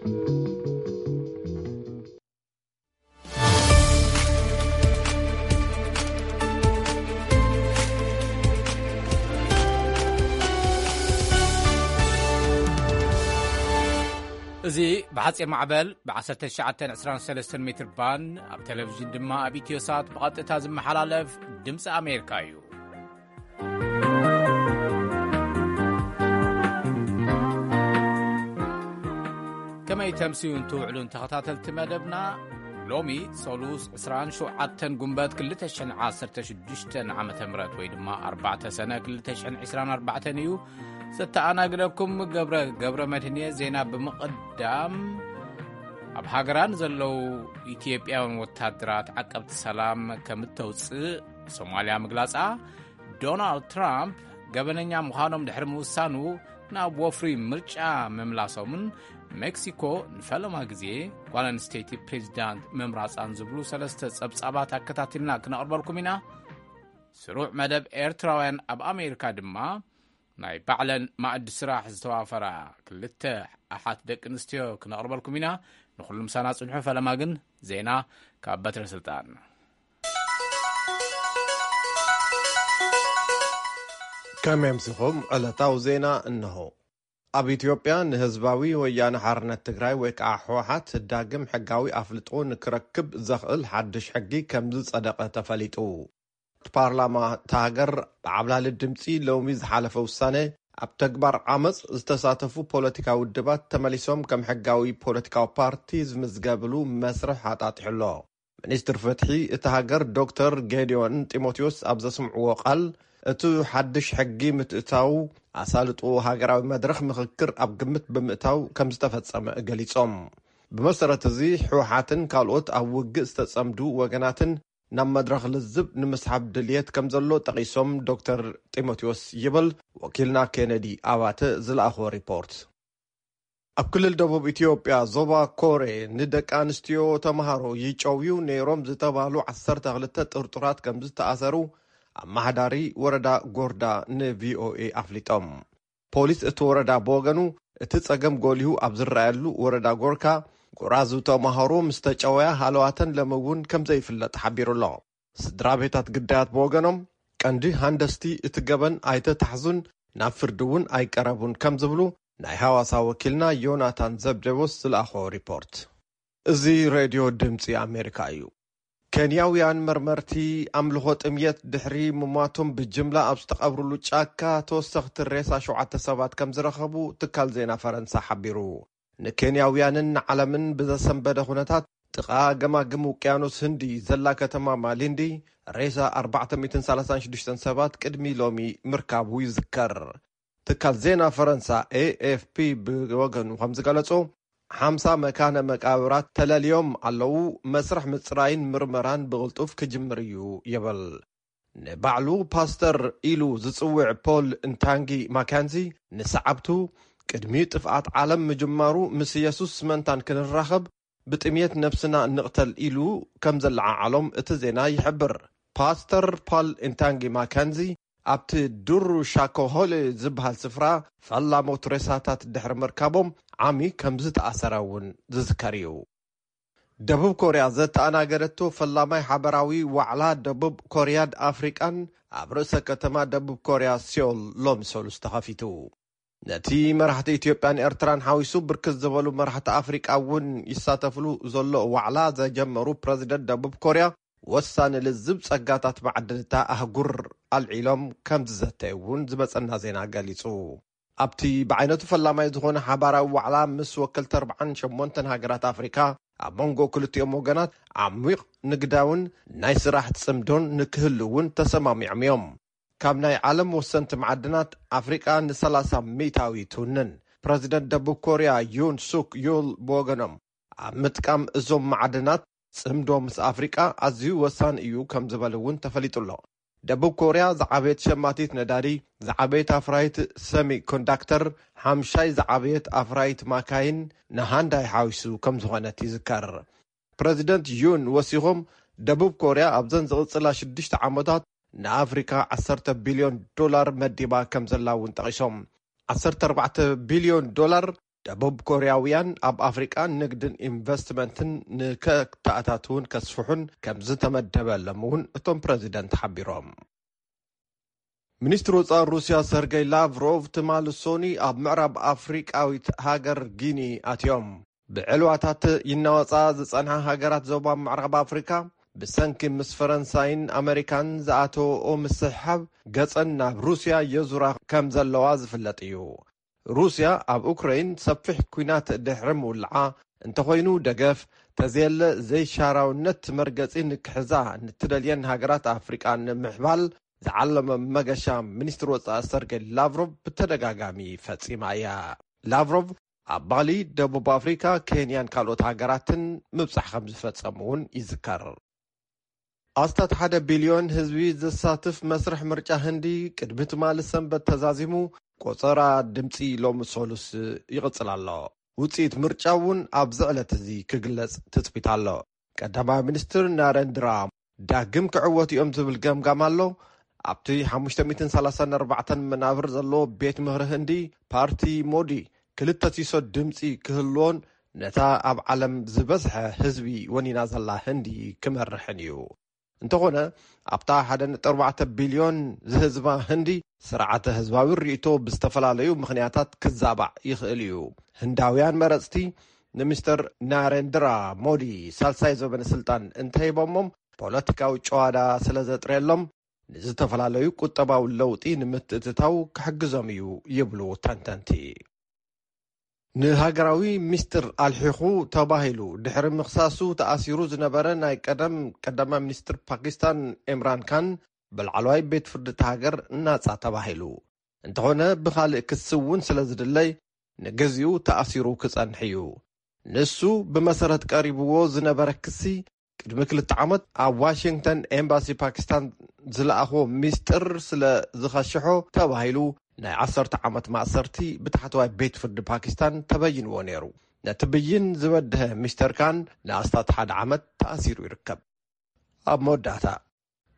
እዚ ብሓጺር ማዕበል ብ1923 ሜትር ባንድ፣ ኣብ ቴሌቪዥን ድማ ኣብ ኢትዮሳት ብቐጥታ ዝመሓላለፍ ድምፂ ኣሜሪካ እዩ። ከመይ ተምስዩን ትውዕሉን ተኸታተልቲ መደብና? ሎሚ ሰሉስ 27 ጉንበት 2016 ዓመተ ምህረት ወይ ድማ ኣርባዕተ ሰነ 2024 እዩ። ዘተኣናግደኩም ገብረ፣ ገብረ መድህን እየ። ዜና ብምቕዳም፣ ኣብ ሃገራ ንዘለዉ ኢትዮጵያውያን ወታደራት ዓቀብቲ ሰላም ከም እተውፅእ ሶማልያ ምግላፃ፣ ዶናልድ ትራምፕ ገበነኛ ምዃኖም ድሕሪ ምውሳኑ ናብ ወፍሪ ምርጫ ምምላሶምን ሜክሲኮ ንፈለማ ግዜ ጓል ኣንስተይቲ ፕሬዚዳንት ምምራፃን ዝብሉ ሰለስተ ጸብጻባት ኣከታቲልና ክነቕርበልኩም ኢና። ስሩዕ መደብ ኤርትራውያን ኣብ ኣሜሪካ ድማ ናይ ባዕለን ማእዲ ስራሕ ዝተዋፈራ ክልተ ኣሓት ደቂ ኣንስትዮ ክነቕርበልኩም ኢና። ንኹሉ ምሳና ጽንሑ። ፈለማ ግን ዜና ካብ በትረ ስልጣን። ከመይ ኣምሲኹም? ዕለታዊ ዜና እንሆ። ኣብ ኢትዮጵያ ንህዝባዊ ወያነ ሓርነት ትግራይ ወይ ከዓ ህወሓት ዳግም ሕጋዊ ኣፍልጦ ንክረክብ ዘኽእል ሓድሽ ሕጊ ከም ዝጸደቐ ተፈሊጡ። እቲ ፓርላማ እታ ሃገር ብዓብላሊ ድምፂ ሎሚ ዝሓለፈ ውሳነ፣ ኣብ ተግባር ዓመፅ ዝተሳተፉ ፖለቲካዊ ውድባት ተመሊሶም ከም ሕጋዊ ፖለቲካዊ ፓርቲ ዝምዝገብሉ መስርሕ ኣጣጢሑ ኣሎ። ሚኒስትር ፍትሒ እታ ሃገር ዶክተር ጌዲዮን ጢሞቴዎስ ኣብ ዘስምዕዎ ቃል፣ እቲ ሓድሽ ሕጊ ምትእታው ኣሳልጦ ሃገራዊ መድረኽ ምኽክር ኣብ ግምት ብምእታው ከም ዝተፈጸመ ገሊጾም። ብመሰረት እዚ፣ ህወሓትን ካልኦት ኣብ ውግእ ዝተጸምዱ ወገናትን ናብ መድረኽ ልዝብ ንምስሓብ ድልየት ከም ዘሎ ጠቒሶም ዶክተር ጢሞቴዎስ ይብል ወኪልና ኬነዲ ኣባተ ዝለኣኾ ሪፖርት። ኣብ ክልል ደቡብ ኢትዮጵያ ዞባ ኮሬ ንደቂ ኣንስትዮ ተምሃሮ ይጨውዩ ነይሮም ዝተባህሉ ዓሰርተ ክልተ ጥርጡራት ከም ዝተኣሰሩ ኣመሓዳሪ ወረዳ ጎርዳ ንቪኦኤ ኣፍሊጦም። ፖሊስ እቲ ወረዳ ብወገኑ፣ እቲ ጸገም ጎሊሁ ኣብ ዝረኣየሉ ወረዳ ጎርካ፣ ጎራዙ ተምሃሮ ምስ ተጨወያ ሃለዋተን ሎም እውን ከም ዘይፍለጥ ሓቢሩ ኣሎ። ስድራ ቤታት ግዳያት ብወገኖም፣ ቀንዲ ሃንደስቲ እቲ ገበን ኣይተታሕዙን ናብ ፍርዲ እውን ኣይቀረቡን ከም ዝብሉ ናይ ሃዋሳ ወኪልና ዮናታን ዘብደዎስ ዝለኣኾ ሪፖርት። እዚ ሬድዮ ድምፂ ኣሜሪካ እዩ። ኬንያውያን መርመርቲ ኣምልኾ ጥምየት ድሕሪ ምሟቶም ብጅምላ ኣብ ዝተቐብሩሉ ጫካ ተወሰኽቲ ሬሳ ሸውዓተ ሰባት ከም ዝረኸቡ ትካል ዜና ፈረንሳ ሓቢሩ። ንኬንያውያንን ንዓለምን ብዘሰንበደ ኩነታት፣ ጥቓ ገማግም ውቅያኖስ ህንዲ ዘላ ከተማ ማሊንዲ ሬሳ ኣርባዕተ ሚእትን ሰላሳን ሽዱሽተን ሰባት ቅድሚ ሎሚ ምርካቡ ይዝከር። ትካል ዜና ፈረንሳ ኤኤፍፒ ብወገኑ ከም ዝገለጾ፣ ሓምሳ መካነ መቃብራት ተለልዮም ኣለዉ፣ መስርሕ ምጽራይን ምርመራን ብቕልጡፍ ክጅምር እዩ ይብል። ንባዕሉ ፓስተር ኢሉ ዝጽውዕ ፖል እንታንጊ ማካንዚ ንሰዓብቱ፣ ቅድሚ ጥፍኣት ዓለም ምጅማሩ ምስ የሱስ መንታን ክንራኸብ ብጥምየት ነብስና ንቕተል ኢሉ ከም ዘለዓዓሎም እቲ ዜና ይሕብር። ፓስተር ፖል እንታንጊ ማካንዚ ኣብቲ ዱሩ ሻኮሆሌ ዝበሃል ስፍራ ፈላሞት ሬሳታት ድሕሪ ምርካቦም ዓሚ ከም ዝተኣሰረ እውን ዝዝከር እዩ። ደቡብ ኮርያ ዘተኣናገደቶ ፈላማይ ሓበራዊ ዋዕላ ደቡብ ኮርያን ኣፍሪቃን ኣብ ርእሰ ከተማ ደቡብ ኮርያ ሲዮል ሎሚ ሰሉስ ተኸፊቱ። ነቲ መራሕቲ ኢትዮጵያን ኤርትራን ሓዊሱ ብርክት ዝበሉ መራሕቲ ኣፍሪቃ እውን ይሳተፍሉ ዘሎ ዋዕላ ዘጀመሩ ፕረዚደንት ደቡብ ኮርያ፣ ወሳኒ ልዝብ ጸጋታት ማዕድን እታ ኣህጉር ኣልዒሎም ከም ዝዘተዩ እውን ዝመጸና ዜና ገሊጹ። ኣብቲ ብዓይነቱ ፈላማይ ዝኾነ ሓባራዊ ዋዕላ ምስ ወከልቲ ኣርባዓን ሸሞንተን ሃገራት ኣፍሪካ፣ ኣብ መንጎ ክልቲኦም ወገናት ዓሚቕ ንግዳውን ናይ ስራሕ ጽምዶን ንክህሉ እውን ተሰማሚዖም እዮም። ካብ ናይ ዓለም ወሰንቲ ማዕድናት ኣፍሪቃ ንሰላሳ ሚእታዊ ትውንን። ፕረዚደንት ደቡብ ኮርያ ዩን ሱክ ዩል ብወገኖም፣ ኣብ ምጥቃም እዞም ማዕድናት ጽምዶ ምስ ኣፍሪቃ ኣዝዩ ወሳኒ እዩ ከም ዝበሉ እውን ተፈሊጡ ኣሎ። ደቡብ ኮርያ ዝዓበየት ሸማቲት ነዳዲ፣ ዝዓበየት ኣፍራይት ሰሚኮንዳክተር፣ ሓምሻይ ዝዓበየት ኣፍራይት ማካይን ንሃንዳይ ሓዊሱ ከም ዝኾነት ይዝከር። ፕረዚደንት ዩን ወሲኾም፣ ደቡብ ኮርያ ኣብዘን ዝቕጽላ ሽዱሽተ ዓመታት ንኣፍሪካ ዓሰርተ ቢልዮን ዶላር መዲባ ከም ዘላ እውን ጠቒሶም። ዓሰርተ ኣርባዕተ ቢልዮን ዶላር ደቡብ ኮርያውያን ኣብ ኣፍሪቃ ንግድን ኢንቨስትመንትን ንከተኣታትውን ከስፍሑን ከም ዝተመደበሎም እውን እቶም ፕረዚደንት ሓቢሮም። ሚኒስትር ወጻኢ ሩስያ ሰርገይ ላቭሮቭ ትማሊ ሶኒ ኣብ ምዕራብ ኣፍሪቃዊት ሃገር ጊኒ ኣትዮም። ብዕልዋታት ይናወጻ ዝጸንሓ ሃገራት ዞባ ምዕራብ ኣፍሪካ ብሰንኪ ምስ ፈረንሳይን ኣመሪካን ዝኣተወኦ ምስሕሓብ ገጸን ናብ ሩስያ የዙራ ከም ዘለዋ ዝፍለጥ እዩ። ሩስያ ኣብ ኡክረይን ሰፊሕ ኲናት ድሕሪ ምውልዓ፣ እንተኾይኑ ደገፍ ተዘየለ ዘይሻራውነት መርገጺ ንክሕዛ ንትደልየን ሃገራት ኣፍሪቃ ንምሕባል ዝዓለመ መገሻ ሚኒስትር ወጻኢ ሰርገይ ላቭሮቭ ብተደጋጋሚ ፈጺማ እያ። ላቭሮቭ ኣብ ባሊ፣ ደቡብ ኣፍሪካ፣ ኬንያን ካልኦት ሃገራትን ምብጻሕ ከም ዝፈጸሙ እውን ይዝከር። ኣስታት ሓደ ቢልዮን ህዝቢ ዘሳትፍ መስርሕ ምርጫ ህንዲ ቅድሚ ትማሊ ሰንበት ተዛዚሙ፣ ቆጸራ ድምጺ ሎሚ ሰሉስ ይቕጽል ኣሎ። ውጽኢት ምርጫ እውን ኣብዚ ዕለት እዚ ክግለጽ ትጽቢት ኣሎ። ቀዳማይ ሚኒስትር ናረንድራ ዳግም ክዕወቱ እዮም ዝብል ገምጋም ኣሎ። ኣብቲ ሓሙሽተ ሚእትን ሰላሳን ኣርባዕተን መናብር ዘለዎ ቤት ምኽሪ ህንዲ፣ ፓርቲ ሞዲ ክልተ ሲሶ ድምጺ ክህልዎን ነታ ኣብ ዓለም ዝበዝሐ ህዝቢ ወኒና ዘላ ህንዲ ክመርሕን እዩ። እንተኾነ ኣብታ ሓደ ነጥቢ ኣርባዕተ ቢልዮን ዝህዝባ ህንዲ ስርዓተ ህዝባዊ ርእይቶ ብዝተፈላለዩ ምኽንያታት ክዛባዕ ይኽእል እዩ። ህንዳውያን መረጽቲ ንሚስተር ናሬንድራ ሞዲ ሳልሳይ ዘበነ ስልጣን እንተሂቦሞም ፖለቲካዊ ጨዋዳ ስለ ዘጥረየሎም ንዝተፈላለዩ ቁጠባዊ ለውጢ ንምትእትታው ክሕግዞም እዩ ይብሉ ተንተንቲ። ንሃገራዊ ሚስጥር ኣልሒኹ ተባሂሉ ድሕሪ ምኽሳሱ ተኣሲሩ ዝነበረ ናይ ቀደም ቀዳማይ ሚኒስትር ፓኪስታን ኢምራን ካን ብላዕለዋይ ቤት ፍርዲ እታ ሃገር ናጻ ተባሂሉ። እንተኾነ ብኻልእ ክሲ እውን ስለ ዝድለይ ንግዚኡ ተኣሲሩ ክጸንሕ እዩ። ንሱ ብመሰረት ቀሪብዎ ዝነበረ ክሲ ቅድሚ ክልተ ዓመት ኣብ ዋሽንግተን ኤምባሲ ፓኪስታን ዝለኣኽዎ ሚስጥር ስለ ዝኸሸሖ ተባሂሉ ናይ ዓሰርተ ዓመት ማእሰርቲ ብታሕተዋይ ቤት ፍርዲ ፓኪስታን ተበይንዎ ነይሩ። ነቲ ብይን ዝበድሀ ሚስተር ካን ንኣስታት ሓደ ዓመት ተኣሲሩ ይርከብ። ኣብ መወዳእታ፣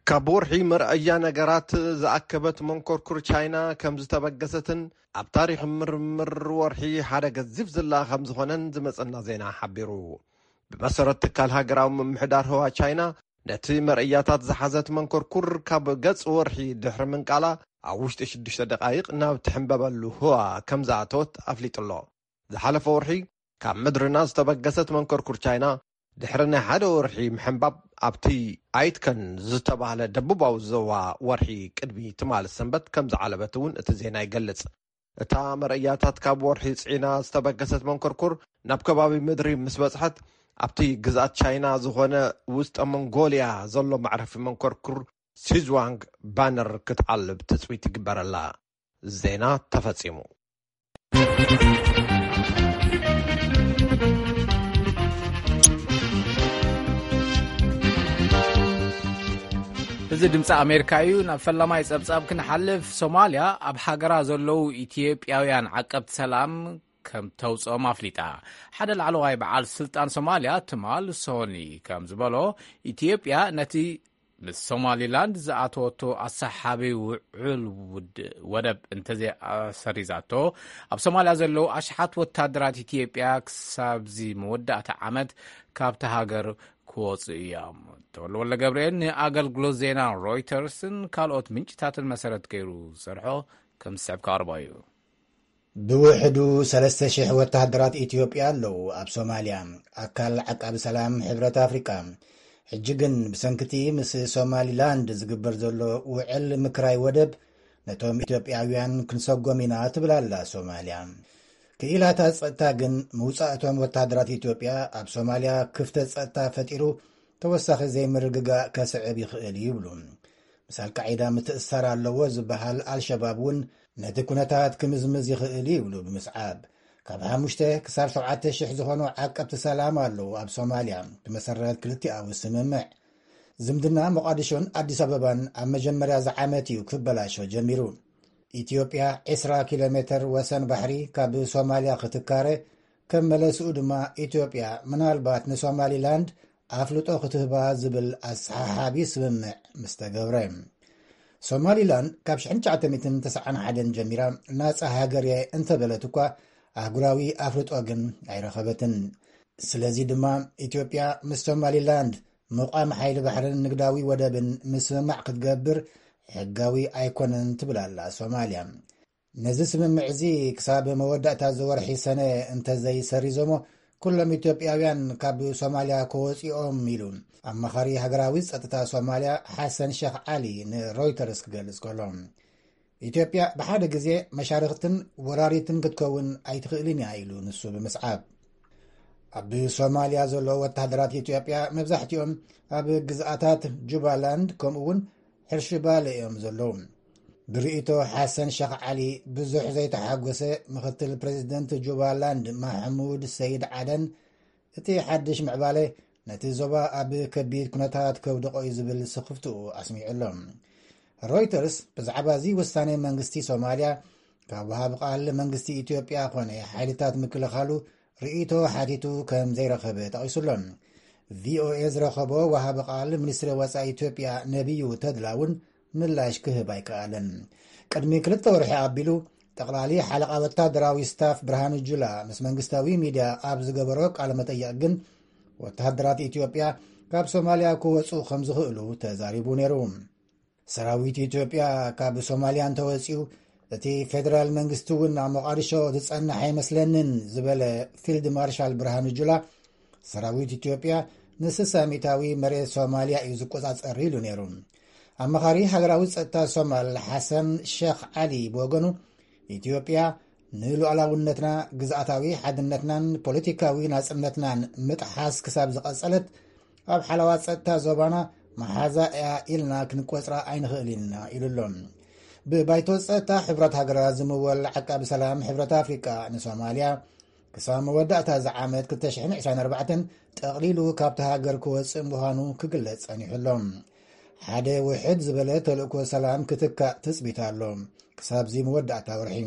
ካብ ወርሒ መርኣያ ነገራት ዝኣከበት መንኮርኩር ቻይና ከም ዝተበገሰትን ኣብ ታሪኽ ምርምር ወርሒ ሓደ ገዚፍ ዝላ ከም ዝኾነን ዝመጸና ዜና ሓቢሩ። ብመሰረት ትካል ሃገራዊ ምምሕዳር ህዋ ቻይና፣ ነቲ መርኣያታት ዝሓዘት መንኮርኩር ካብ ገጽ ወርሒ ድሕሪ ምንቃላ ኣብ ውሽጢ ሽዱሽተ ደቓይቕ ናብ ትሕምበበሉ ህዋ ከም ዝኣተወት ኣፍሊጡ ኣሎ። ዝሓለፈ ወርሒ ካብ ምድርና ዝተበገሰት መንኮርኩር ቻይና ድሕሪ ናይ ሓደ ወርሒ ምሕንባብ ኣብቲ ኣይትከን ዝተባህለ ደቡባዊ ዞባ ወርሒ ቅድሚ ትማሊ ሰንበት ከም ዝዓለበት እውን እቲ ዜና ይገልጽ። እታ መርኣያታት ካብ ወርሒ ጽዒና ዝተበገሰት መንኮርኩር ናብ ከባቢ ምድሪ ምስ በጽሐት ኣብቲ ግዝኣት ቻይና ዝኾነ ውስጠ መንጎልያ ዘሎ መዕረፊ መንኮርኩር ሲዝዋንግ ባነር ክትዓልብ ትጽቢት ይግበረላ። ዜና ተፈጺሙ። እዚ ድምፂ ኣሜሪካ እዩ። ናብ ፈላማይ ጸብጻብ ክንሓልፍ፣ ሶማልያ ኣብ ሃገራ ዘለዉ ኢትዮጵያውያን ዓቀብቲ ሰላም ከም ተውፅኦም ኣፍሊጣ። ሓደ ላዕለዋይ በዓል ስልጣን ሶማልያ ትማል ሶኒ ከም ዝበሎ፣ ኢትዮጵያ ነቲ ምስ ሶማሊላንድ ዝኣተወቶ ኣሰሓቢ ውዕል ውድ-፣ ወደብ እንተዘይኣሰሪዛቶ፣ ኣብ ሶማልያ ዘለዉ ኣሽሓት ወታደራት ኢትዮጵያ ክሳብዚ መወዳእታ ዓመት ካብቲ ሃገር ክወፁ እዮም። ተወልደ ወልደ ገብርኤል ንኣገልግሎት ዜና ሮይተርስን ካልኦት ምንጭታትን መሰረት ገይሩ ዝሰርሖ ከም ዝስዕብ ከቕርቦ እዩ። ብውሕዱ ሰለስተ ሽሕ ወተሃደራት ኢትዮጵያ ኣለዉ ኣብ ሶማልያ፣ ኣካል ዓቃቢ ሰላም ሕብረት ኣፍሪቃ። ሕጂ ግን ብሰንክቲ ምስ ሶማሊላንድ ዝግበር ዘሎ ውዕል ምክራይ ወደብ፣ ነቶም ኢትዮጵያውያን ክንሰጎም ኢና ትብል ኣላ ሶማልያ። ክኢላታት ጸጥታ ግን ምውጻእ እቶም ወተሃደራት ኢትዮጵያ ኣብ ሶማልያ ክፍተት ጸጥታ ፈጢሩ ተወሳኺ ዘይምርግጋእ ከስዕብ ይኽእል ይብሉ። ምስ ኣልቃዒዳ ምትእስሳር ኣለዎ ዝበሃል ኣልሸባብ እውን ነቲ ኩነታት ክምዝምዝ ይኽእል ይብሉ ብምስዓብ፣ ካብ ሓሙሽተ ክሳብ ሸውዓተ ሽሕ ዝኾኑ ዓቀብቲ ሰላም ኣለዉ ኣብ ሶማልያ ብመሰረት ክልቲኣዊ ስምምዕ። ዝምድና ሞቓዲሾን ኣዲስ ኣበባን ኣብ መጀመርያ ዝዓመት እዩ ክበላሾ ጀሚሩ። ኢትዮጵያ ዕስራ ኪሎ ሜተር ወሰን ባሕሪ ካብ ሶማልያ ክትካረ፣ ከም መለስኡ ድማ ኢትዮጵያ ምናልባት ንሶማሊላንድ ኣፍልጦ ክትህባ ዝብል ኣሰሓሓቢ ስምምዕ ምስ ተገብረ። ሶማሊላንድ ካብ ሽሕን ትሽዓተ ሚእትን ተስዓን ሓደን ጀሚራ ናጻ ሃገር እየ እንተበለት እኳ፣ ኣህጉራዊ ኣፍልጦ ግን ኣይረኸበትን። ስለዚ ድማ ኢትዮጵያ ምስ ሶማሊላንድ ምቋም ሓይሊ ባሕርን ንግዳዊ ወደብን ምስምማዕ ክትገብር ሕጋዊ ኣይኮነን ትብል ኣላ ሶማልያ። ነዚ ስምምዕ እዚ ክሳብ መወዳእታ ዝወርሒ ሰነ እንተዘይሰሪዞሞ፣ ኩሎም ኢትዮጵያውያን ካብ ሶማልያ ክወፅኦም ኢሉ ኣማኻሪ ሃገራዊ ጸጥታ ሶማልያ ሓሰን ሸኽ ዓሊ ንሮይተርስ ክገልጽ ከሎ፣ ኢትዮጵያ ብሓደ ግዜ መሻርኽትን ወራሪትን ክትከውን ኣይትኽእልን እያ ኢሉ ንሱ ብምስዓብ። ኣብ ሶማልያ ዘለዉ ወታደራት ኢትዮጵያ መብዛሕትኦም ኣብ ግዝኣታት ጁባላንድ ከምኡ እውን ሕርሺ ባለ እዮም ዘለዉ። ብርእይቶ ሓሰን ሸኽ ዓሊ ብዙሕ ዘይተሓጎሰ ምኽትል ፕሬዚደንት ጁባላንድ ማሕሙድ ሰይድ ዓደን፣ እቲ ሓድሽ ምዕባለ ነቲ ዞባ ኣብ ከቢድ ኩነታት ከውድቖ እዩ ዝብል ስኽፍትኡ ኣስሚዑ ኣሎ። ሮይተርስ ብዛዕባ እዚ ውሳኔ መንግስቲ ሶማልያ ካብ ወሃቢ ቃል መንግስቲ ኢትዮጵያ ኮነ ሓይልታት ምክልኻሉ ርእይቶ ሓቲቱ ከም ዘይረኸበ ጠቒሱ ኣሎ። ቪኦኤ ዝረኸቦ ወሃቢ ቃል ሚኒስትሪ ወጻኢ ኢትዮጵያ ነቢዩ ተድላ እውን ምላሽ ክህብ ኣይከኣለን። ቅድሚ ክልተ ወርሒ ኣቢሉ ጠቕላሊ ሓለቓ ወታደራዊ ስታፍ ብርሃኑ ጁላ ምስ መንግስታዊ ሚድያ ኣብ ዝገበሮ ቃለ መጠይቕ ግን፣ ወታደራት ኢትዮጵያ ካብ ሶማልያ ክወጹ ከም ዝኽእሉ ተዛሪቡ ነይሩ። ሰራዊት ኢትዮጵያ ካብ ሶማልያ እንተወጺኡ፣ እቲ ፌደራል መንግስቲ እውን ኣብ ሞቓዲሾ ዝጸንሕ ኣይመስለንን ዝበለ ፊልድ ማርሻል ብርሃኑ ጁላ፣ ሰራዊት ኢትዮጵያ ንስሳ ሚእታዊ መሬት ሶማልያ እዩ ዝቆጻጸር ኢሉ ነይሩ። ኣማኻሪ ሃገራዊ ጸጥታ ሶማል ሓሰን ሸኽ ዓሊ ብወገኑ፣ ኢትዮጵያ ንሉዓላውነትና፣ ግዝኣታዊ ሓድነትናን ፖለቲካዊ ናጽነትናን ምጥሓስ ክሳብ ዝቐጸለት፣ ኣብ ሓለዋ ጸጥታ ዞባና መሓዛ እያ ኢልና ክንቆጽራ ኣይንኽእል ኢና ኢሉ ኣሎ። ብባይቶ ጸጥታ ሕብረት ሃገራት ዝምወል ዓቃቢ ሰላም ሕብረት ኣፍሪቃ ንሶማልያ ክሳብ መወዳእታ እዚ ዓመት ክልተ ሽሕን ዕስራን ኣርባዕተን ጠቕሊሉ ካብቲ ሃገር ክወጽእ ምዃኑ ክግለጽ ጸኒሑ ኣሎ። ሓደ ውሕድ ዝበለ ተልእኮ ሰላም ክትካእ ትጽቢት ኣሎ። ክሳብዚ መወዳእታ ወርሒ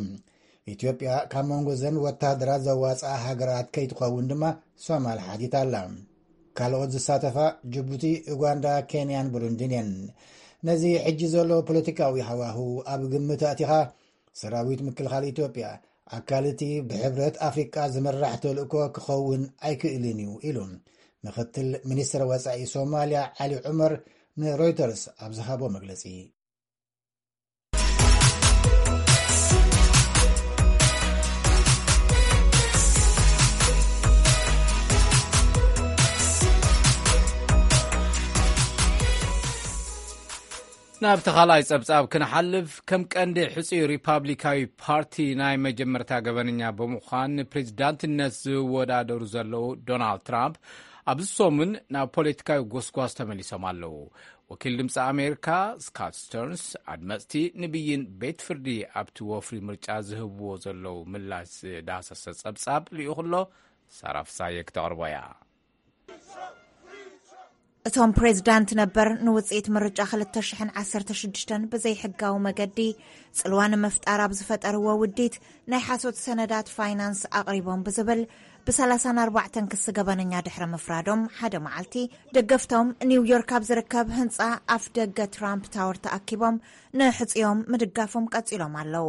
ኢትዮጵያ ካብ መንጎ ዘን ወታደራት ዘዋጽኣ ሃገራት ከይትኸውን ድማ ሶማል ሓቲታ ኣላ። ካልኦት ዝሳተፋ ጅቡቲ፣ ኡጋንዳ፣ ኬንያን ብሩንዲን እየን። ነዚ ሕጂ ዘሎ ፖለቲካዊ ሃዋሁ ኣብ ግምት ኣእቲኻ፣ ሰራዊት ምክልኻል ኢትዮጵያ ኣካል እቲ ብሕብረት ኣፍሪቃ ዝምራሕ ተልእኮ ክኸውን ኣይክእልን እዩ ኢሉ ምኽትል ሚኒስትር ወጻኢ ሶማልያ ዓሊ ዑመር ንሮይተርስ ኣብ ዝሃቦ መግለጺ። ናብቲ ካልኣይ ጸብጻብ ክንሓልፍ፣ ከም ቀንዲ ሕጹይ ሪፓብሊካዊ ፓርቲ ናይ መጀመርታ ገበነኛ ብምዃን ንፕሬዚዳንትነት ዝወዳደሩ ዘለዉ ዶናልድ ትራምፕ ኣብዚ ሰሙን ናብ ፖለቲካዊ ጎስጓስ ተመሊሶም ኣለዉ። ወኪል ድምፂ ኣሜሪካ ስካት ስተርንስ ኣድመፅቲ ንብይን ቤት ፍርዲ ኣብቲ ወፍሪ ምርጫ ዝህብዎ ዘለዉ ምላሽ ዝዳሰሰ ጸብጻብ ልኢኹ ኣሎ። ሳራ ፍሳየ ክተቕርቦ እያ። እቶም ፕሬዝዳንት ነበር ንውፅኢት ምርጫ ክልተ ሽሕን ዓሰርተ ሽዱሽተን ብዘይሕጋዊ መገዲ ጽልዋ ንምፍጣር ኣብ ዝፈጠርዎ ውዲት ናይ ሓሶት ሰነዳት ፋይናንስ ኣቕሪቦም ብዝብል ብሰላሳን ኣርባዕተን ክሲ ገበነኛ ድሕሪ ምፍራዶም ሓደ መዓልቲ ደገፍቶም ኒውዮርክ ኣብ ዝርከብ ህንፃ ኣፍ ደገ ትራምፕ ታወር ተኣኪቦም ንሕፅዮም ምድጋፎም ቀፂሎም ኣለዉ።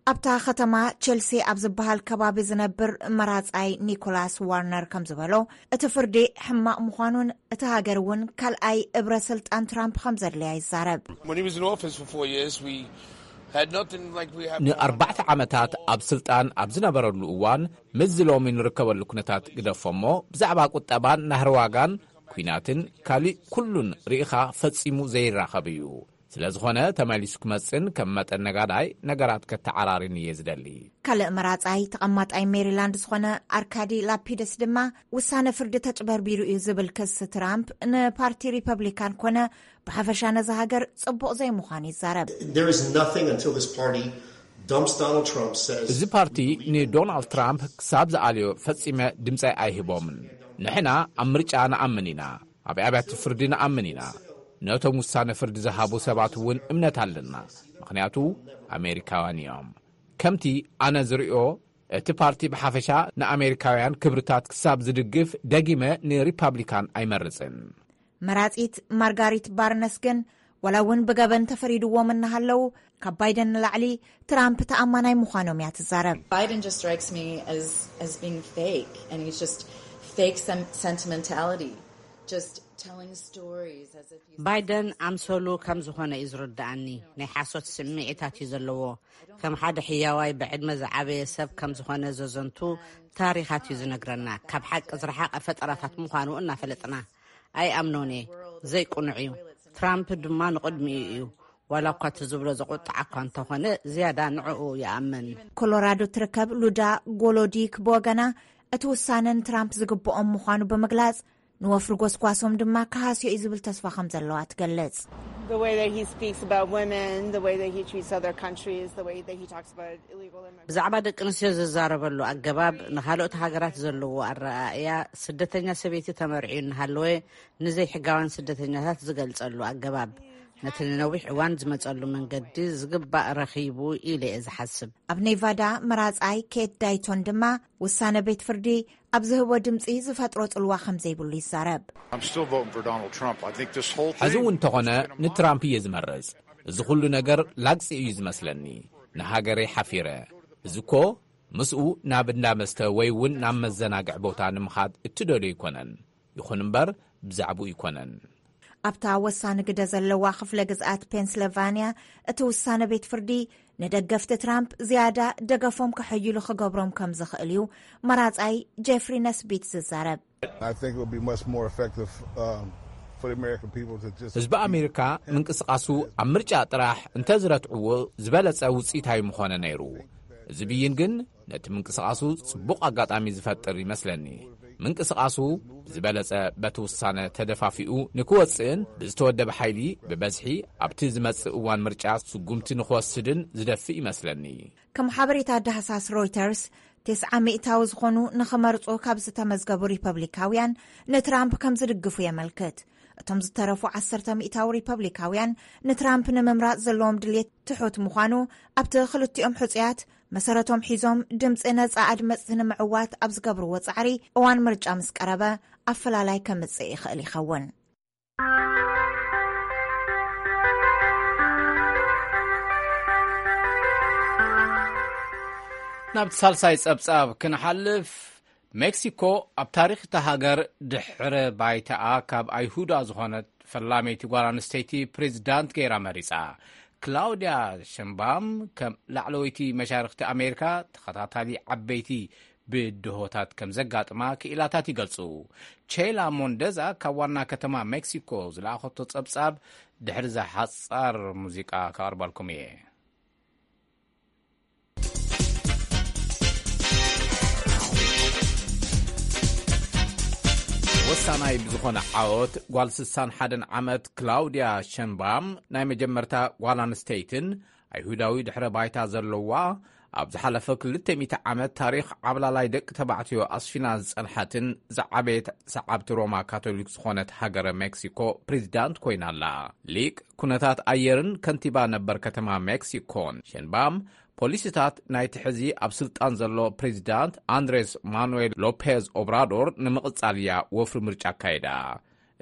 ኣብታ ከተማ ቸልሲ ኣብ ዝበሃል ከባቢ ዝነብር መራጻይ ኒኮላስ ዋርነር ከም ዝበሎ፣ እቲ ፍርዲ ሕማቕ ምዃኑን እቲ ሃገር እውን ካልኣይ እብረ ስልጣን ትራምፕ ከም ዘድልያ ይዛረብ። When he was in office for four years, we had nothing like we have now. ንኣርባዕተ ዓመታት ኣብ ስልጣን ኣብ ዝነበረሉ እዋን፣ ምስዚ ሎሚ ንርከበሉ ኩነታት ግደፎ እሞ፣ ብዛዕባ ቁጠባን ናህሪ ዋጋን ኲናትን ካልእ ኩሉን ርኢኻ ፈጺሙ ዘይራኸብ እዩ። ስለ ዝኾነ፣ ተመሊሱ ክመጽእን ከም መጠን ነጋዳይ ነገራት ከተዓራርን እየ ዝደሊ። ካልእ መራጻይ ተቐማጣይ ሜሪላንድ ዝኾነ ኣርካዲ ላፒደስ ድማ፣ ውሳነ ፍርዲ ተጭበርቢሩ እዩ ዝብል ክስ ትራምፕ ንፓርቲ ሪፐብሊካን ኮነ ብሓፈሻ ነዛ ሃገር ጽቡቕ ዘይምዃኑ ይዛረብ። There is nothing until this party dumps Donald Trump, says እዚ ፓርቲ ንዶናልድ ትራምፕ ክሳብ ዝኣልዮ ፈጺመ ድምጸይ ኣይህቦምን። ንሕና ኣብ ምርጫ ንኣምን ኢና። ኣብ ኣብያተ ፍርዲ ንኣምን ኢና። ነቶም ውሳነ ፍርዲ ዝሃቡ ሰባት እውን እምነት ኣለና፣ ምኽንያቱ ኣሜሪካውያን እዮም። ከምቲ ኣነ ዝርእዮ፣ እቲ ፓርቲ ብሓፈሻ ንኣሜሪካውያን ክብርታት ክሳብ ዝድግፍ፣ ደጊመ ንሪፓብሊካን ኣይመርጽን። መራጺት ማርጋሪት ባርነስ ግን፣ ዋላ እውን ብገበን ተፈሪድዎም እናሃለዉ፣ ካብ ባይደን ንላዕሊ ትራምፕ ተኣማናይ ምዃኖም እያ ትዛረብ። Biden just strikes me as as being fake, and he's just fake sem- sentimentality, just telling stories as if he's ባይደን ኣምሰሉ ከም ዝኾነ እዩ ዝርድኣኒ። ናይ ሓሶት ስምዒታት እዩ ዘለዎ። ከም ሓደ ሕያዋይ ብዕድመ ዝዓበየ ሰብ ከም ዝኾነ ዘዘንቱ ታሪኻት እዩ ዝነግረና። ካብ ሓቂ ዝረሓቐ ፈጠራታት ምዃኑ እናፈለጥና ኣይኣምኖን እየ። ዘይቅኑዕ እዩ። ትራምፕ ድማ ንቕድሚኡ እዩ። ዋላ እኳ እቲ ዝብሎ ዘቑጣዕ እኳ እንተኾነ፣ ዝያዳ ንዕኡ ይኣምን። ኮሎራዶ ትርከብ ሉዳ ጎሎዲክ ብወገና፣ እቲ ውሳነ ንትራምፕ ዝግብኦም ምዃኑ ብምግላጽ፣ ንወፍሪ ጎስጓሶም ድማ ክሃስዮ እዩ ዝብል ተስፋ ከም ዘለዋ ትገልጽ። The way that he speaks about women, the way that he treats other countries, the way that he talks about illegal immigrants. ብዛዕባ ደቂ ኣንስትዮ ዝዛረበሉ ኣገባብ፣ ንኻልኦት ሃገራት ዘለዎ ኣረኣእያ፣ ስደተኛ ሰበይቲ ተመርዕዩ እናሃለወ ንዘይሕጋውያን ስደተኛታት ዝገልጸሉ ኣገባብ፣ ነቲ ንነዊሕ እዋን ዝመጸሉ መንገዲ ዝግባእ ረኺቡ ኢለ እየ ዝሓስብ። ኣብ ኔቫዳ መራጻይ ኬት ዳይቶን ድማ፣ ውሳነ ቤት ፍርዲ ኣብ ዝህቦ ድምጺ ዝፈጥሮ ጽልዋ ከም ዘይብሉ ይዛረብ። I'm still voting for Donald Trump. I think this whole ሕዚ thing እውን እንተኾነ ንትራምፕ እየ ዝመርጽ። እዚ ኩሉ ነገር ላግጺ እዩ ዝመስለኒ። ንሃገረይ ሓፊረ። እዚ እኮ ምስኡ ናብ እንዳ መስተ ወይ እውን ናብ መዘናግዒ ቦታ ንምኻድ እትደልዮ ኣይኮነን። ይኹን እምበር ብዛዕባኡ ኣይኮነን። ኣብታ ወሳኒ ግደ ዘለዋ ክፍለ ግዝኣት ፔንስልቫንያ፣ እቲ ውሳነ ቤት ፍርዲ ንደገፍቲ ትራምፕ ዝያዳ ደገፎም ከሐይሉ ክገብሮም ከም ዝኽእል እዩ መራጻይ ጄፍሪ ነስቢት ዝዛረብ። I think it would be much more effective um, for the American people to just. ህዝቢ ኣሜሪካ ምንቅስቓሱ ኣብ ምርጫ ጥራሕ እንተዝረትዕዎ ዝበለጸ ውፅኢታዊ ምኾነ ነይሩ። እዚ ብይን ግን ነቲ ምንቅስቓሱ ጽቡቕ ኣጋጣሚ ዝፈጥር ይመስለኒ። ምንቅስቓሱ ብዝበለጸ በቲ ውሳነ ተደፋፊኡ ንክወፅእን ብዝተወደበ ሓይሊ ብበዝሒ ኣብቲ ዝመጽእ እዋን ምርጫ ስጉምቲ ንክወስድን ዝደፍእ ይመስለኒ። ከም ሓበሬታ ዳህሳስ ሮይተርስ፣ ተስዓ ሚእታዊ ዝኾኑ ንኽመርጹ ካብ ዝተመዝገቡ ሪፐብሊካውያን ንትራምፕ ከም ዝድግፉ የመልክት። እቶም ዝተረፉ ዓሰርተ ሚእታዊ ሪፐብሊካውያን ንትራምፕ ንምምራጽ ዘለዎም ድሌት ትሑት ምዃኑ፣ ኣብቲ ክልቲኦም ሕጹያት መሰረቶም ሒዞም ድምጺ ነጻ ኣድመጽቲ ንምዕዋት ኣብ ዝገብርዎ ጻዕሪ፣ እዋን ምርጫ ምስ ቀረበ ኣፈላላይ ከምጽእ ይኽእል ይኸውን። ናብቲ ሳልሳይ ጸብጻብ ክንሓልፍ፣ ሜክሲኮ ኣብ ታሪኽ እታ ሃገር ድሕረ ባይታኣ ካብ ኣይሁዳ ዝኾነት ፈላመይቲ ጓል ኣንስተይቲ ፕሬዚዳንት ገይራ መሪጻ። ክላውድያ ሸምባም ከም ላዕለወይቲ መሻርኽቲ ኣሜሪካ ተኸታታሊ ዓበይቲ ብድሆታት ከም ዘጋጥማ ክኢላታት ይገልጹ። ቼላ ሞንደዛ ካብ ዋና ከተማ ሜክሲኮ ዝለኣኸቶ ጸብጻብ ድሕሪ እዛ ሓጻር ሙዚቃ ከቕርበልኩም እየ። ወሳናይ ብዝኾነ ዓወት ጓል ስሳን ሓደን ዓመት ክላውድያ ሸንባም ናይ መጀመርታ ጓል ኣንስተይትን ኣይሁዳዊ ድሕረ ባይታ ዘለዋ ኣብ ዝሓለፈ ክልተ ሚእቲ ዓመት ታሪኽ ዓብላላይ ደቂ ተባዕትዮ ኣስፊና ዝጸንሓትን ዝዓበየት ሰዓብቲ ሮማ ካቶሊክ ዝኾነት ሃገረ ሜክሲኮ ፕሬዚዳንት ኮይና ኣላ። ሊቅ ኩነታት ኣየርን ከንቲባ ነበር ከተማ ሜክሲኮን ሸንባም ፖሊሲታት ናይቲ ሕዚ ኣብ ስልጣን ዘሎ ፕሬዚዳንት ኣንድሬስ ማኑዌል ሎፔዝ ኦብራዶር ንምቕጻል እያ ወፍሪ ምርጫ ኣካይዳ።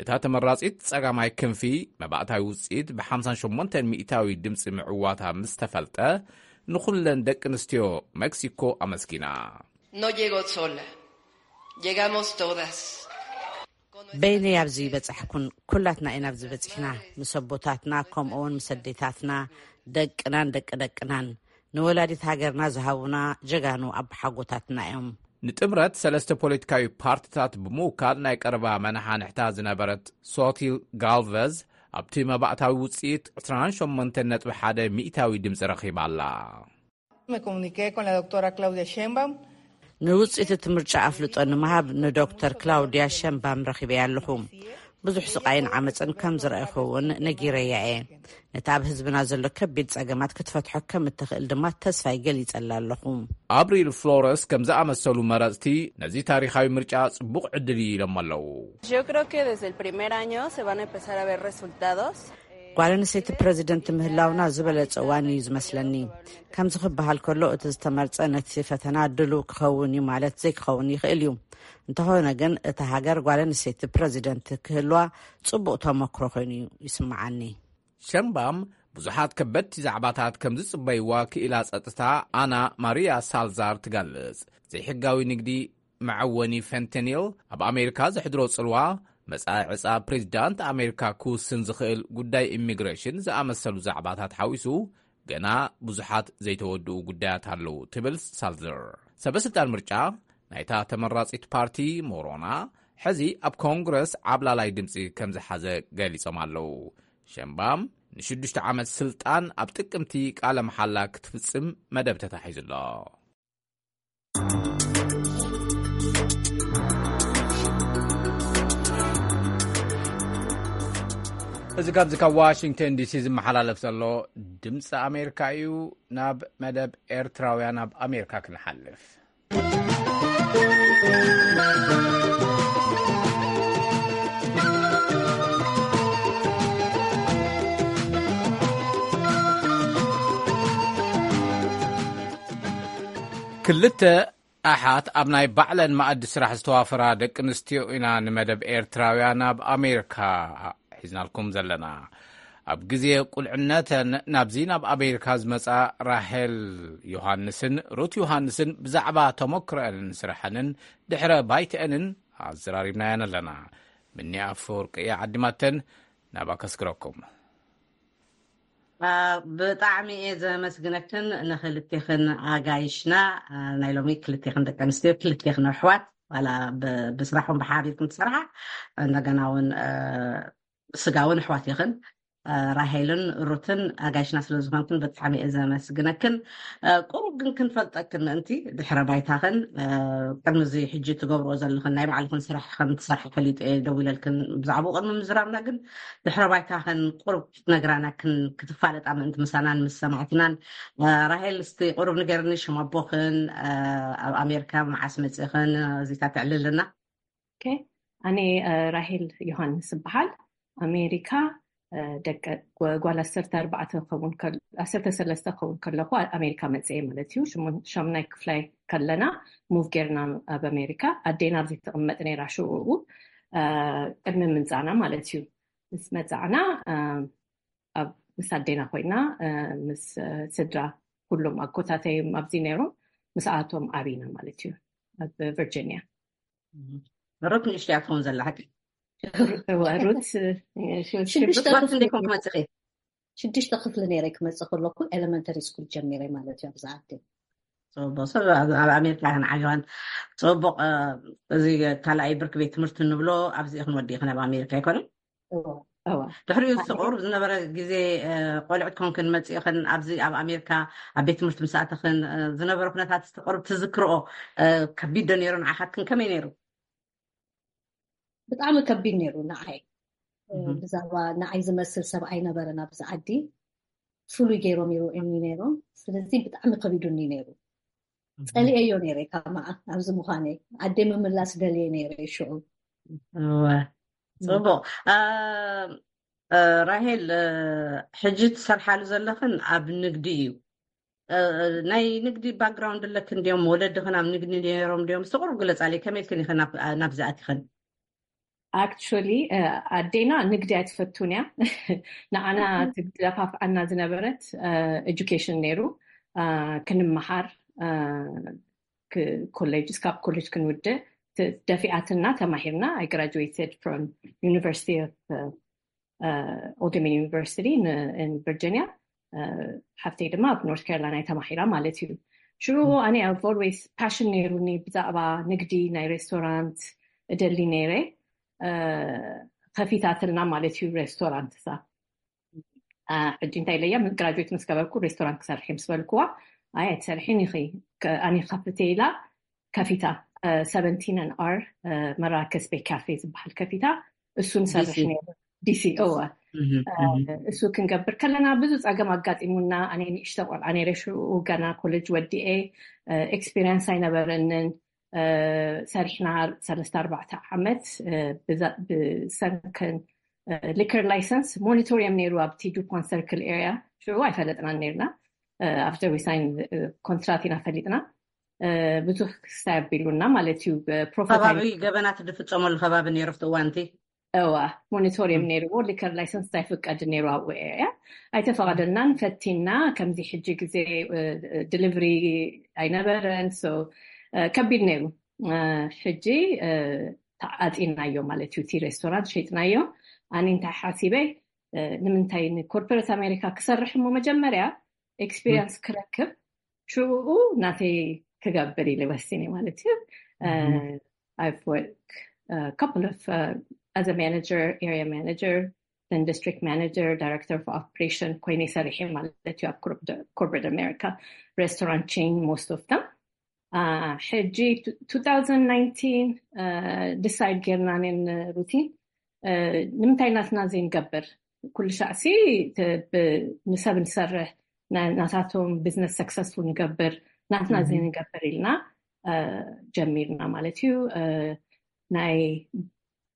እታ ተመራጺት ጸጋማይ ክንፊ መባእታዊ ውጽኢት ብ ሓምሳን ሸሞንተን ሚእታዊ ድምጺ ምዕዋታ ምስ ተፈልጠ ንኹለን ደቂ ኣንስትዮ ሜክሲኮ ኣመስጊና። No llego sola. Llegamos todas. በይነይ ኣብዚ ይበጻሕኩን ኩላትና ኢና ኣብዚ በጺሕና፣ ምስ ኣቦታትና ከምኡ እውን ምስ ኣዴታትና፣ ደቅናን ደቂ ደቅናን፣ ንወላዲት ሃገርና ዝሃቡና ጀጋኑ ኣቦሓጎታትና እዮም። ንጥምረት ሰለስተ ፖለቲካዊ ፓርቲታት ብምውካል ናይ ቀረባ መናሓንሕታ ዝነበረት ሶቲል ጋልቨዝ ኣብቲ መባእታዊ ውፅኢት ዕስራን ሸሞንተን ነጥቢ ሓደ ሚእታዊ ድምፂ ረኺባ ኣላ። Me comuniqué con la doctora Claudia Sheinbaum. ንውፅኢት እቲ ምርጫ ኣፍልጦ ንምሃብ ንዶክተር ክላውድያ ሸንባም ረኺበያ ኣለኹ። ብዙሕ ስቓይን ዓመፅን ከም ዝረኣኹ እውን ነጊረያ እየ። ነቲ ኣብ ህዝብና ዘሎ ከቢድ ጸገማት ክትፈትሖ ከም እትኽእል ድማ ተስፋይ ገሊጸላ ኣለኹ። ኣብሪል ፍሎረስ ከም ዝኣመሰሉ መረፅቲ ነዚ ታሪኻዊ ምርጫ ጽቡቕ ዕድል እዩ ኢሎም ኣለዉ። Yo creo que desde el primer año se van a empezar a ver resultados. ጓል ኣንስተይቲ ፕረዚደንት ምህላውና ዝበለጸ እዋን እዩ ዝመስለኒ። ከምዚ ክበሃል ከሎ እቲ ዝተመርጸ ነቲ ፈተና ድሉው ክኸውን እዩ ማለት ዘይክኸውን ይኽእል እዩ። እንተኾነ ግን እታ ሃገር ጓል ኣንስተይቲ ፕረዚደንት ክህልዋ ጽቡቕ ተመክሮ ኮይኑ እዩ ይስምዓኒ። ሸንባም ብዙሓት ከበድቲ ዛዕባታት ከም ዝጽበይዋ ክኢላ ጸጥታ ኣና ማሪያ ሳልዛር ትገልጽ። ዘይሕጋዊ ንግዲ መዐወኒ ፈንተኒል ኣብ ኣሜሪካ ዘሕድሮ ጽልዋ፣ መጻኢ ዕጻ ፕሬዚዳንት ኣሜሪካ ክውስን ዝኽእል ጉዳይ ኢሚግሬሽን ዝኣመሰሉ ዛዕባታት ሓዊሱ ገና ብዙሓት ዘይተወድኡ ጉዳያት ኣለዉ ትብል ሳልዘር። ሰበ ስልጣን ምርጫ ናይታ ተመራጺት ፓርቲ ሞሮና ሕዚ ኣብ ኮንግረስ ዓብላላይ ድምፂ ከም ዝሓዘ ገሊጾም ኣለዉ። ሸንባም ንሽዱሽተ ዓመት ስልጣን ኣብ ጥቅምቲ ቃለ መሓላ ክትፍጽም መደብ ተታሒዙ ኣሎ። እዚ ካብዚ ካብ ዋሽንግተን ዲሲ ዝመሓላለፍ ዘሎ ድምፂ ኣሜሪካ እዩ። ናብ መደብ ኤርትራውያን ኣብ ኣሜሪካ ክንሓልፍ። ክልተ ኣሓት ኣብ ናይ ባዕለን መኣዲ ስራሕ ዝተዋፈራ ደቂ ኣንስትዮ ኢና ንመደብ ኤርትራውያን ኣብ ኣሜሪካ ሒዝናልኩም ዘለና። ኣብ ግዜ ቁልዕነተን ናብዚ ናብ ኣሜሪካ ዝመጻ ራሄል ዮሃንስን ሩት ዮሃንስን ብዛዕባ ተመክሮአንን ስራሐንን ድሕረ ባይተአንን ኣዘራሪብናየን ኣለና። ምኒ ኣፈወርቂ እያ ዓዲማተን። ናባ ከስግረኩም። ብጣዕሚ እየ ዘመስግነክን ንክልቴክን ኣጋይሽና። ናይ ሎሚ ክልቴክን ደቂ ኣንስትዮ፣ ክልቴክን ኣሕዋት፣ ዋላ ብስራሕኩም ብሓቢርኩም ትሰርሓ፣ እንደገና እውን ስጋ እውን ኣሕዋት ኢኽን። ራሄልን ሩትን ኣጋይሽና ስለ ዝኾንክን ብጣዕሚ እየ ዘመስግነክን። ቁሩብ ግን ክንፈልጠክን ምእንቲ ድሕረ ባይታኽን፣ ቅድሚ እዚ ሕጂ ትገብርኦ ዘለኽን ናይ ባዕልኽን ስራሕ ከም ትሰርሒ ፈሊጠ እየ ደዊለልክን። ብዛዕባኡ ቅድሚ ምዝራብና ግን ድሕረ ባይታኽን ቁሩብ ክትነግራና ክን-፣ ክትፋለጣ ምእንቲ ምሳናን ምስ ሰማዕትናን። ራሄል እስቲ ቁሩብ ንገርኒ ሽም ኣቦኽን፣ ኣብ ኣሜሪካ መዓስ መጺእኽን እዚታት ትዕልልና። ኣነ ራሄል ዮሃንስ እበሃል። ኣሜሪካ ደቂ ጓል ዓሰርተ ኣርባዕተ ክኸውን ዓሰርተ ሰለስተ ክኸውን ከለኹ ኣሜሪካ መፅአ ማለት እዩ። ሻምናይ ክፍላይ ከለና ሙቭ ጌርና ኣብ ኣሜሪካ። ኣዴና ኣብዚ ትቕመጥ ነይራ ሽዑኡ ቅድሚ ምንፃና ማለት እዩ። ምስ መፃዕና ኣብ ምስ ኣዴና ኮይና ምስ ስድራ ኩሎም ኣጎታተይ ኣብዚ ነይሮም ምስኣቶም ዓቢና ማለት እዩ ኣብ ቨርጂኒያ። ሩት ንእሽትያ ትኸውን ዘላ ሓቂ ሩት ሽዱሽተ ክፍሊ ነይረ ክመፅእ ከለኩ ኤለመንተሪ ስኩል ጀሚረ ማለት እዩ ኣብዛ ዓዲ። ፅቡቅ ሰብ ኣብ ኣሜሪካ ኢኽን ዓቢኽን። ፅቡቅ። እዚ ካልኣይ ብርኪ ቤት ትምህርቲ ንብሎ ኣብዚ ኢኽን ወዲእኽን ኣብ ኣሜሪካ ኣይኮነን? ድሕሪኡ ዝሰቆሩ ዝነበረ ግዜ ቆልዕት ኮንክን መፂእኽን ኣብዚ ኣብ ኣሜሪካ ኣብ ቤት ትምህርቲ ምስኣተኽን ዝነበረ ኩነታት ዝተቆርብ ትዝክርኦ ከቢድ ዶ ነይሩ ንዓኻትክን ከመይ ነይሩ? ብጣዕሚ ከቢድ ነይሩ ንዓይ። ብዛዕባ ንዓይ ዝመስል ሰብ ኣይነበረን ኣብዚ ዓዲ። ፍሉይ ገይሮም ይርእዩኒ ነይሮም። ስለዚ ብጣዕሚ ከቢዱኒ ነይሩ። ፀሊኤዮ ነይረ ከማኣ ኣብዚ ምዃነይ። ዓደይ ምምላስ ደልየ ነይረ ሽዑ። እወ፣ ፅቡቕ። ራሄል፣ ሕጂ ትሰርሓሉ ዘለኽን ኣብ ንግዲ እዩ። ናይ ንግዲ ባክግራውንድ ኣለክን ድዮም? ወለድኽን ኣብ ንግዲ ነይሮም ድዮም? እስቲ ቁሩብ ግለፃለይ፣ ከመይ ኢልክን ኢኽን ናብዚ ኣቲኽን? ኣክቹሊ ኣዴና ንግዲ ኣይትፈቱን እያ። ንዓና ትደፋፍኣና ዝነበረት ኤጁኬሽን ነይሩ። ክንመሃር ኮሌጅ፣ እስካብ ኮሌጅ ክንውድእ ደፊኣትና ተማሂርና። I graduated from University of Old Dominion University in Virginia። ሓፍተይ ድማ ኣብ ኖርት ካሮላይና ተማሂራ ማለት እዩ። ሽዑ ኣነ I've always passion ነይሩኒ ብዛዕባ ንግዲ፣ ናይ ሬስቶራንት እደሊ ነይረ። ከፊታትልና ማለት እዩ ሬስቶራንት እሳ። ሕጂ እንታይ ኢለያ፣ ግራጁዌት ምስ ገበርኩ ሬስቶራንት ክሰርሕ ምስ በልክዋ፣ ኣይ ኣይትሰርሒን ኢኺ፣ ኣነ ክኸፍት እየ ኢላ ከፊታ። ሰቨንቲን and R መራከስ ቤት ካፌ ዝበሃል ከፊታ። እሱ ንሰርሕ ነይሩ ዲሲ። እወ፣ እሱ ክንገብር ከለና ብዙ ፀገም ኣጋጢሙና። ኣነ ንእሽተ ቆልዓ ነይረ ሽዑ፣ ገና ኮሌጅ ወዲኤ፣ ኤክስፒሪየንስ ኣይነበረንን። ሰሪሕና ሰለስተ ኣርባዕተ ዓመት ብሰንከን ሊከር ላይሰንስ ሞኒቶር እዮም ነይሩ ኣብቲ ዱፖንት ሰርክል ኤሪያ። ሽዑ ኣይፈለጥናን ነይርና። ኣፍተር ዊ ሳይን ኮንትራት ኢና ፈሊጥና። ብዙሕ ክስታይ ኣቢሉና ማለት እዩ። ፕሮፈት ከባቢ ገበናት ዝፍፀመሉ ከባቢ ነይሩ ኣብቲ እዋንቲ። እዋ፣ ሞኒቶር እዮም ነይርዎ። ሊከር ላይሰንስ ኣይፍቀድ ነይሩ ኣብኡ ኤርያ። ኣይተፈቐደልናን። ፈቲና፣ ከምዚ ሕጂ ግዜ ድሊቨሪ ኣይነበረን። So ከቢድ ነይሩ። ሕጂ ተዓፂናዮ ማለት እዩ። እቲ ሬስቶራንት ሸይጥናዮ። ኣነ እንታይ ሓሲበ፣ ንምንታይ ንኮርፖሬት ኣሜሪካ ክሰርሕ እሞ መጀመርያ ኤክስፒሪንስ ክረክብ፣ ሽኡ ናተይ ክገብር ኢለ ወሲነ ማለት እዩ። I've worked couple of as a manager, area manager, then district manager, director of operation ኮይነ ሰሪሐ ማለት እዩ ኣብ corporate America restaurant chain most of them. ሕጂ two thousand nineteen decide ጌርና ነን ሩቲን ንምንታይ ናትና ዘይንገብር? ኩሉ ሻዕሲ ንሰብ ንሰርሕ፣ ናታቶም ቢዝነስ ሰክሰስፉል ንገብር፣ ናትና ዘይንገብር ኢልና ጀሚርና ማለት እዩ። ናይ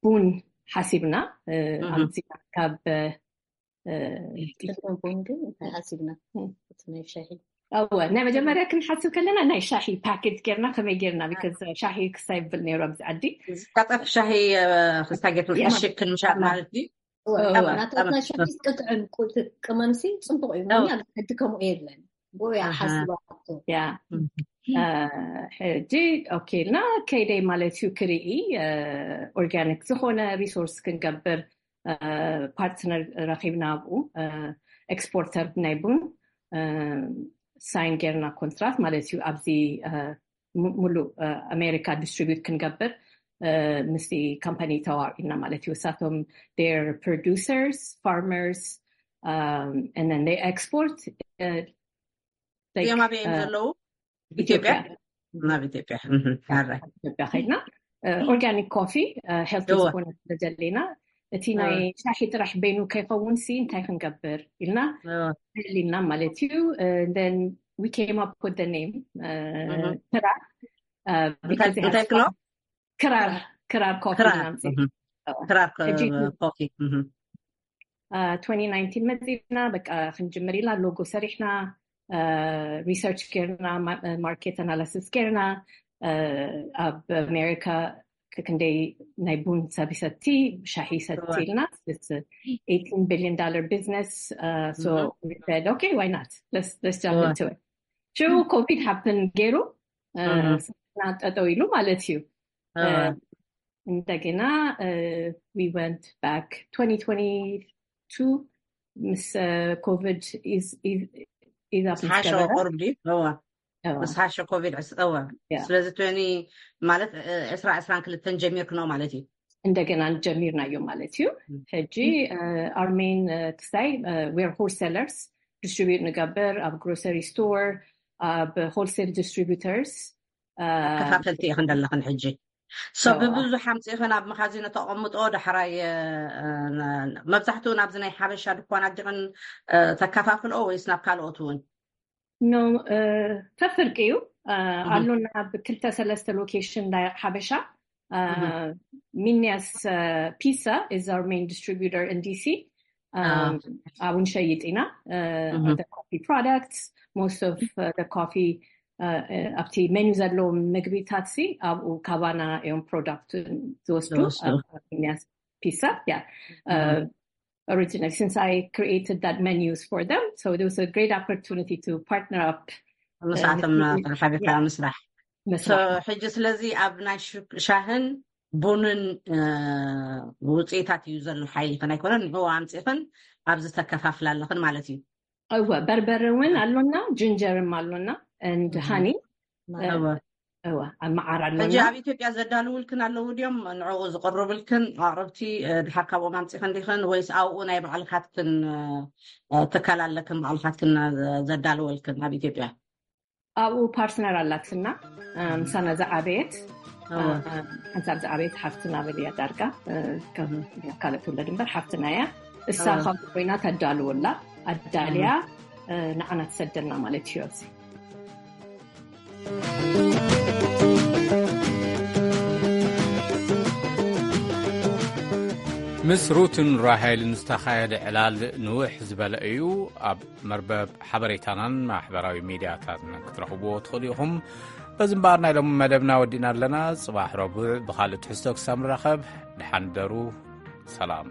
ቡን ሓሲብና ኣብዚ ካብ ቡን ግን እንታይ ሓሲብና? ናይ ሻሂ ናይ መጀመርያ ክንሓስብ ከለና ናይ ሻሂ ፓኬጅ ጌርና ከመይ ጌርና because ሻሂ ክስታይ ይብል ነይሩ ኣብዚ ዓዲ። ዝታጠፍ ሻሂ ክስታይ ጌርና ሕሽግ ክንምሻጥ ማለት እዩ። ናታትና ሻሂ ቅጥዕን ቅመምሲ ፅቡቅ እዩ። ሕጂ ከምኡ የለን። ቦያ ሓስባቶ ያ ሕጂ ኦኬ ኢልና ከይደይ ማለት እዩ ክርኢ ኦርጋኒክ ዝኾነ ሪሶርስ ክንገብር ፓርትነር ረኺብና ኣብኡ ኤክስፖርተር ናይ ቡን ሳይን ጌርና ኮንትራት ማለት እዩ። ኣብዚ ሙሉእ ኣሜሪካ ዲስትሪቢዩት ክንገብር ምስቲ ካምፓኒ ተዋዒልና ማለት እዩ። እሳቶም ር producers, farmers, ኤክስፖርት እዮም። ኣበይ እዮም ዘለዉ? ኢትዮጵያ። ናብ ኢትዮጵያ። ኢትዮጵያ ከይድና ኦርጋኒክ ኮፊ ሄልቲ ዝኾነ ስለዘለና እቲ ናይ ሻሂ ጥራሕ በይኑ ከይኸውን ሲ እንታይ ክንገብር ኢልና ልና ማለት እዩ። We came up with the name ክራር እንታይ ክሎ ክራር ክራር ኮፊ ክራር ኮፊ twenty nineteen መፂና በቃ ክንጅምር ኢላ ሎጎ ሰሪሕና ሪሰርች ጌርና ማርኬት ኣናላሲስ ጌርና ኣብ ኣሜሪካ ክንደይ ናይ ቡን ሰብ ይሰቲ ሻሂ ይሰቲ ኢልና eighteen billion dollar business. So we said okay, why not, let's jump into it. ሽዑ ኮቪድ ሃፕን ገይሩ ስራሕና ጠጠው ኢሉ ማለት እዩ። እንደገና we went back twenty twenty-two ምስ ኮቪድ ኢዛ ሓሸ ቆርብ ድዩ? እዋ ምስ ሓሸ ኮቪድ ዕስጠወ ስለዚ ትኒ ማለት ዕስራ ዕስራን ክልተን ጀሚርክኖ ማለት እዩ። እንደገና ጀሚርናዮ ማለት እዩ። ሕጂ our main ክስታይ we're wholesalers, distribute ንገብር ኣብ grocery store, ኣብ wholesale distributors። ከፋፈልቲ ኢኽን ዘለኽን ሕጂ? So ብብዙሕ ኣምፂእኽን ኣብ መኻዚኖ ተቐምጦ ዳሕራይ መብዛሕትኡ ናብዚ ናይ ሓበሻ ድኳናት ዲኽን ተከፋፍልኦ ወይስ ናብ ካልኦት እውን? ኖ፣ ፈፍርቂ እዩ። ኣሎና ብክልተ ሰለስተ ሎኬሽን ናይ ሓበሻ። ሚኒያስ ፒሳ is our main distributor in D C. ኣብኡ ንሸይጥ ኢና። The coffee products, most of the coffee ኣብቲ ሜኑ ዘለዎም ምግቢታት ሲ ኣብኡ ካባና እዮም ፕሮዳክት ዝወስዱ። ሚኒያስ ፒሳ ያ originally since I created that menus for them, so there was a great opportunity to partner up. ምሳቶም ሓቢርካ ምስራሕ። ሕጂ ስለዚ ኣብ ናይ ሻህን ቡንን ውፅኢታት እዩ ዘሎ ሓይልኽን ኣይኮነን፣ ንዕኡ ኣምፂእኽን ኣብዚ ተከፋፍላ ኣለኽን ማለት እዩ። እወ፣ በርበረ እውን ኣሎና፣ ጅንጀርም ኣሎና and honey። እወ፣ ኣብ መዓር ኣሎና። ሕጂ ኣብ ኢትዮጵያ ዘዳልውልክን ኣለዉ ድዮም? ንዕኡ ዝቕርብልክን ኣቕርብቲ ድሓር ካብኦም ኣምፂኽን ዲኽን ወይስ ኣብኡ ናይ ባዕልካትክን ትካል ኣለክን ባዕልካትክን ዘዳልወልክን ኣብ ኢትዮጵያ? ኣብኡ ፓርትነር ኣላትና ምሳና ዝዓበየት ሓንሳብ ዝዓበየት ሓፍትና በልያ ዳርጋ ካልእ ትውለድ እምበር ሓፍትና እያ። እሳ ካብ ኮይና ተዳልወላ ኣዳልያ ንዓና ትሰደልና ማለት እዩ። ኣብዚ ምስ ሩትን ራሄልን ዝተኻየደ ዕላል ንውሕ ዝበለ እዩ። ኣብ መርበብ ሓበሬታናን ማሕበራዊ ሚድያታትን ክትረኽብዎ ትኽእሉ ኢኹም። በዚ እምበኣር ናይ ሎሚ መደብና ወዲእና ኣለና። ጽባሕ ረቡዕ ብኻልእ ትሕዝቶ ክሳብ ንራኸብ ደሓን ደሩ። ሰላም።